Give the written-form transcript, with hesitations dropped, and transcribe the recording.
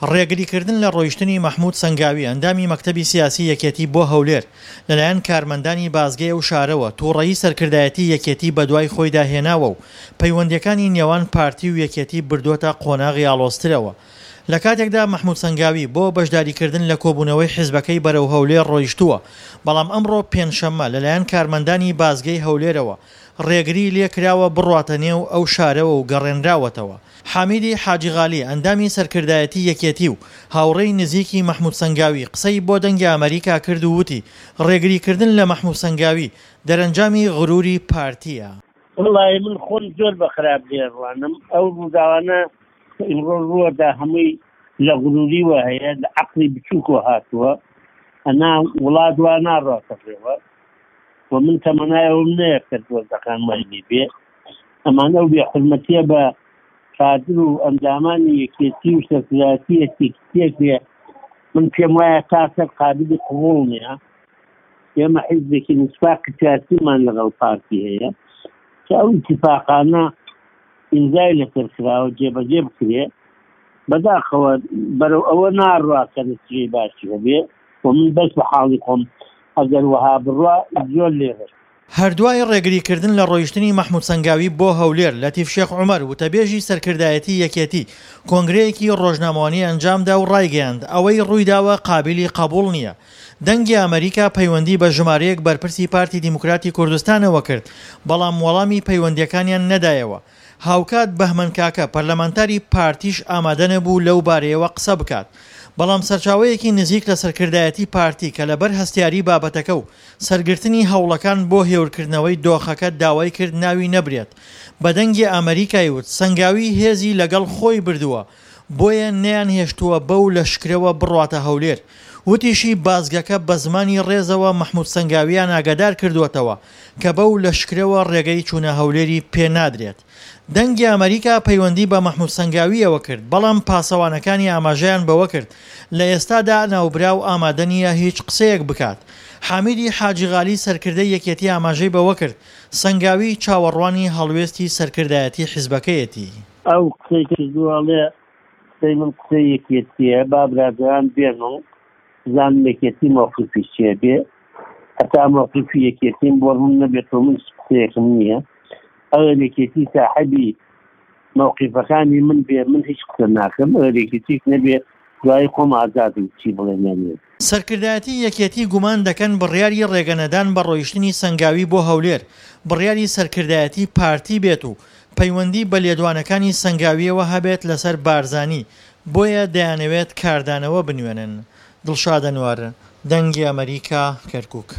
ڕێگریکردن لە ڕۆیشتنی مەحمود سەنگاوی ئەندامی مەکتەبی سیاسی یەکێتی بۆ هەولێر لەلایەن کارمەندانی بازگەی ئەو شارەوە توڕەیی سەرکردایەتی یەکێتی بەدوای خۆیدا هێناوە و پەیوەندییەکانی نێوان پارتی و یەکێتی بردووەتە قۆناغی ئاڵۆزترەوە. لە کاتێکدا مەحمود سەنگاوی بۆ بەشداریکردن لە کۆبوونەوەی حیزبەکەی بەرەو هەولێر ڕۆیشتووە، بەڵام ئەمڕۆ پێنجشەممە لەلایەن کارمەندانی بازگەی هەولێرەوە ڕێگریی لێکراوە بڕواتە نێو ئەو شارەوە و گەڕێنراوەتەوە. حامیدی حاجی غالی، ئەندامی سەرکردایەتی یەکێتی و هاوڕێی نزیکی مەحمود سەنگاوی قسەی بۆ دەنگی ئەمەریکا کرد و وتی، ڕێگریکردن لە مەحمود سەنگاوی دەرەنجامی غروری پارتییە. وەڵایی من خۆم زۆر بە خراپ لێ ڕوانم ئەو ڕووداوانە کە ئیمڕۆ ڕووەدا هەمووی لە غروریوە هەیە لە عەقڵی بچووکەوە هاتووە ئەنا وڵات وا ناڕواتە ڕێوە و من تەمەنای ئەوم نەیەکرد وەزعەکان وای لێ بێ ئەمان ئەو بێ حورمەتیە بە کادر و ئەندامانی یەکێتی و سەرکردایەتی یەکێتیەک بێ من پێم وایە تا سەر قابلی قبوڵ نییە ئێمە حیزبێکی نسفاقی سیاسیمان لەگەڵ پارتی هەیە کە ئەو ئیتفاقانە ئیمزای لەسەر کراوە جێبەجێ بکرێ بەداخەوە بەرەو ئەوە ناڕوا کە نتیجەی باشی هەبێ و من بەس بە حاڵی خۆم ئەگەر وەها بڕوا زۆر لێ هەر دوای ڕێگریکردن لە ڕۆیشتنی مەحمود سەنگاوی بۆ هەولێر، لەتیف شێخ عومەر، وتەبێژی سەرکردایەتی یەکێتی، کۆنگرەیەکی ڕۆژنامەوانی ئەنجامدا و ڕایگەیاند، ئەوەی ڕوویداوە قابیلی قەبوڵ نییە. دەنگی ئەمەریکا پەیوەندی بە ژمارەیەک بەرپرسی پارتی دیموکراتی کوردستانەوە کرد، بەڵام وەڵامی پەیوەندییەکانیان نەدایەوە. هاوکات بەهمەن کاکە، پەرلەمانتاری پارتیش ئامادەنەبوو لەو بارەیەوە قسە بکات. بەڵام سەرچاوەیەکی نزیک لە سەرکردایەتی پارتی کە لەبەر هەستیاریی بابەتەکە و سەرگرتنی هەوڵەکان بۆ هێورکردنەوەی دۆخەکە داوای کرد ناوی نەبرێت، بە دەنگی ئەمەریکای وت، سەنگاوی هێزی لەگەڵ خۆی بردووە، بۆیە نەیانهێشتووە بەو لەشکرەوە بڕواتە هەولێر. وتیشی، بازگەکە بە زمانی ڕێزەوە مەحمود سەنگاوییان ئاگادار کردووەتەوە کە بەو لەشکرەوە ڕێگەی چوونە هەولێری پێ نادرێت. دەنگی ئەمەریکا پەیوەندی بە مەحمود سەنگاوییەوە کرد، بەڵام پاسەوانەکانی ئاماژەیان بەوە کرد لە ئێستادا ناوبراو ئامادە نییە هیچ قسەیەک بکات. حامیدی حاجی غالی سەرکردەی یەکێتی ئاماژەی بەوە کرد، سەنگاوی چاوەڕوانی هەڵوێستی سەرکردایەتی حیزبەکەیەتی. ئەو قسەی کردووە ئەڵێ قسەی من قسەی یەکێتیە با برادەران بێن و بزانن یەکێتی مەوقیفی چیە بێ هەتا مەوقیفی یەکێتیم بۆ ڕوون نەبێتەوە من هیچ قسەیەکم نییە ئەگەر یەکێتی ساحەبی مەوقیفەکانی من بێ من هیچ قسە ناکەم ئەگەر یەکێتیش نەبێ دوایی خۆم ئازادم چی بڵێم یان نەڵێم. سەرکردایەتی یەکێتی گومان دەکەن بڕیاری ڕێگەنەدان بە ڕۆیشتنی سەنگاوی بۆ هەولێر بڕیاری سەرکردایەتی پارتی بێت و پەیوەندی بە لێدوانەکانی سەنگاوییەوە هەبێت لەسەر بارزانی، بۆیە دەیانەوێت کاردانەوە بنوێنن. دڵشاد ئەنوەر، دەنگی ئەمەریکا، کەرکوک.